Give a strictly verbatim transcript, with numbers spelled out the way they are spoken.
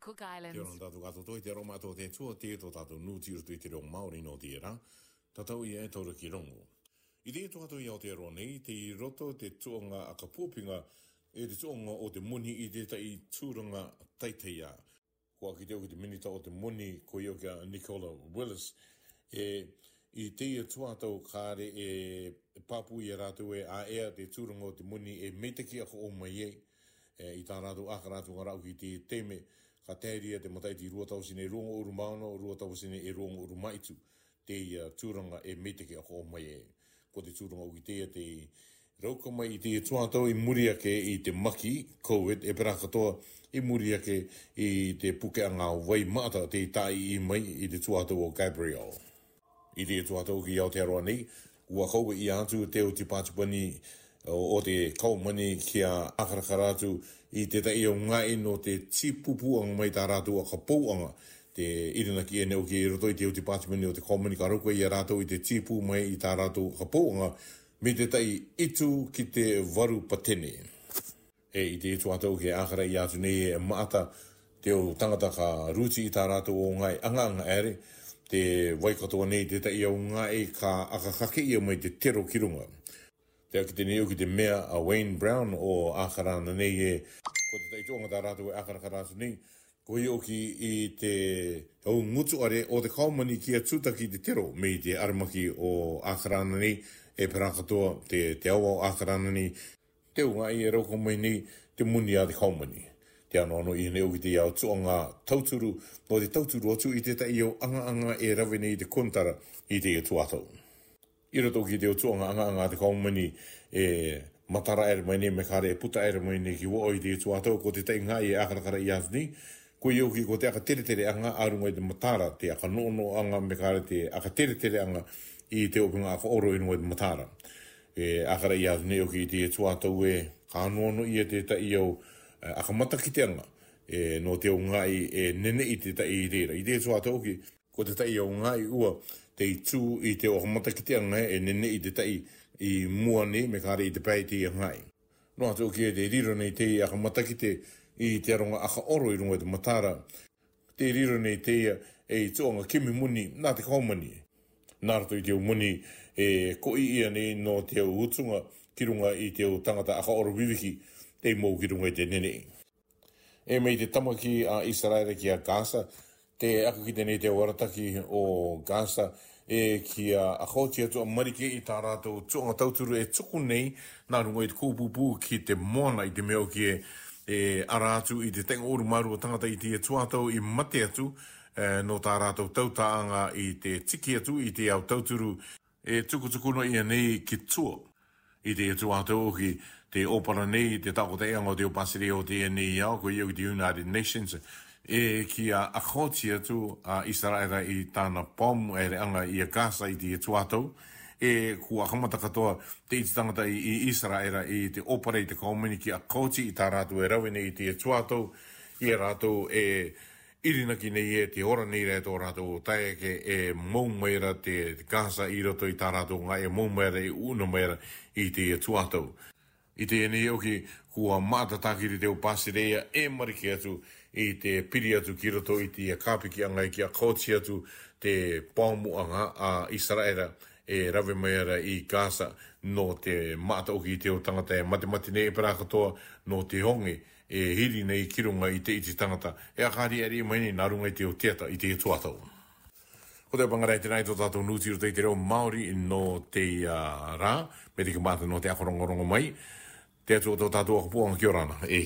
Cook Islands. Te ora tātou katoa i te aroha mātou te Atua, te tō tātou nūti i roto i te reo Māori nō teie rā. Tatau ia e taura ki rongo. I te tō tātou i Aotearoa nei, tei roto te tuʻanga ʻakapuapinga, e te tuʻanga o te moni i tētahi tūranga taitaiā. Kua kite au ki te minita o te moni, ko ia ko Nicola Willis, e, i teie tuatau kāre e pāpū ia rātou e ʻaʻea te tūranga o te moni e meiteki ʻakaʻō mai ai. E, i tā rātou ʻākara atu ngā rāʻau ki te taime, ka tae ria te matahiti rua tauatini e rua ngofulu mā ono, rua tauatini e rua ngofulu mā hitu, teie tūranga e meiteki ʻakaʻō mai ai. Ko te tūranga ʻoku ʻi teie te rauka mai i te tuatau i muri ake i te maki COVID, e pērā katoa i muri ake i te pukeʻanga vai maʻata tei tāʻiʻi mai i te tuatau o Gabrielle. I te tuatau ki Aotearoa nei, ua kau atu te ʻEu Tipātimani o, o te Kaumani kia ʻākarakara atu i tētahi ʻaungāʻi nō te tīpūpūʻanga mai tā rātou ʻakapouʻanga. Te ʻirinaki ʻeni ʻoku ʻi roto i te ʻEu Tipātimani o te Kaumani ka rauka ia rātou i te tīpū mai i tā rātou ʻakapouʻanga, mei tētahi ʻitū ki te varu patene. E, i te tuatau ke ʻākaraʻi atu nei e maʻata te ʻū tangata ka rūti i tā rātou ʻaungāʻi ʻangaʻanga ʻere, tē vai katoa nei tētahi ʻaungāʻi ka ʻakakake ia mai te tero ki runga. Tē kite nei au ki te meʻa a Wayne Brown ʻo ʻĀkarana nei e, ko tētahi tuʻanga tā rātou e ʻākarakara atu nei, ko ia ʻoku ʻi te ʻū ngutu ʻare o te Kaumani kia tūtaki te tero mei te ʻaramaki o ʻĀkarana nei, e pērā katoa te, te ava o ʻĀkarana nei, te ʻū ngaahi e rauka mai nei te moni a te Kaumani. Tē anoanoa ʻia nei au ki te ʻū tuʻanga tauturu, nō te tauturu atu i tētahi ʻū ʻangaʻanga e rave nei i te konitara i te tuatau. ʻI roto ki te ʻū tuʻanga ʻangaʻanga a te Kaumani e matara ʻere mai nei, mea kare e puta ʻere mai nei ki waʻo i te tuatau, ko tētahi ngaahi e ʻākarakaraʻi atu nei, ko ia ʻoku ʻi ko te ʻakateretereʻanga ʻa runga i te matara, te ʻakanoʻonoʻoʻanga mea kare te ʻakateretereʻanga i te ʻōpengā ʻakaʻoro ʻi runga i te matara. E ʻākaraʻi atu nei ʻoku ʻi te tuatau e, ka anoanoa ia tētahi ʻū, e, ʻakamatakiteʻanga, e, nō te ʻū ngaahi e neneʻi tētahi i reira. I te tuatau ʻoku ʻi ko tētahi ʻū ngaahi ʻua tei tū i te ʻū ʻakamatakiteʻanga e neneʻi tētahi i mua nei mea kare i te pae i teie ngaahi. Noa atu ʻoku ʻi te riro nei teie ʻakamatakite i te aronga ʻakaʻoro ʻi runga i te matara. Tē riro nei teie e i tuʻanga kimi moni nā te Kaumani. Nā roto i te ʻū moni e koʻi ʻia nei nō te ʻū utunga ki runga i te ʻū tangata ʻakaʻoro viviki, tei mou ki runga i te neneʻi. E mei te tāmaki a ʻIsaraera ki a Gaza, tē ʻaka kite nei te ʻū arataki o Gaza, e kia ʻakaoti atu ʻa Marika i tā rātou tuʻanga tauturu e tuku nei, nā runga i te kūpūpū ki te moana i te meʻa ʻoku e, e ara atu i te tainga ʻuru mā rua tangata i te tuatau i mate atu, e, nō tā rātou tautaʻanga i te tiki atu i te ʻū tauturu, e tukutuku noa ʻia nei ki tua. I te tuatau ʻoku ʻi te ʻōpara nei, te takotaʻeʻanga o te ʻū pātireia o teie nei ao, ko ia ʻoku ʻi te United Nations, e kia ʻakaoti atu ʻa ʻIsaraera i tāna pōmu ʻereʻanga ʻi a Gaza i te tuatau, e kua ʻakamata katoa te ʻiti tangata ʻi, ʻi ʻIsaraera i te ʻōpara i te Kaumani kia ʻakaoti i tā rātou e rave nei i te tuatau, ʻia rātou e ʻirinaki nei e te ora nei ra e tō rātou tae ke e mou mai ra te, te Gaza ʻi roto i tā rātou ngaahi e mou mai ra e ʻuna mai ra i te tuatau. I teie nei ʻoku kua maʻata tākiri te ʻū pātireia e Marika atu i te piri atu ki roto i te kāpikiʻanga kia ʻakaoti atu te pōmuʻanga a ʻIsaraera e rave mai ra ʻi Gaza nō te maʻata ʻoku ʻi te ʻū tangata e matemate nei e pērā katoa nō te honge e hiri nei ki runga i te ʻiti tangata, e ʻakariʻariʻi mai nei nā runga i te ʻū teata i te tuatau. Ko te pangara i te nai tō tātou nūti ʻi roto i te reo Māori nō teie rā, mei te kiʻi maʻata nō te ako rongorongo mai. Te Atua tō tātou ʻakapuaʻanga kia ora na, e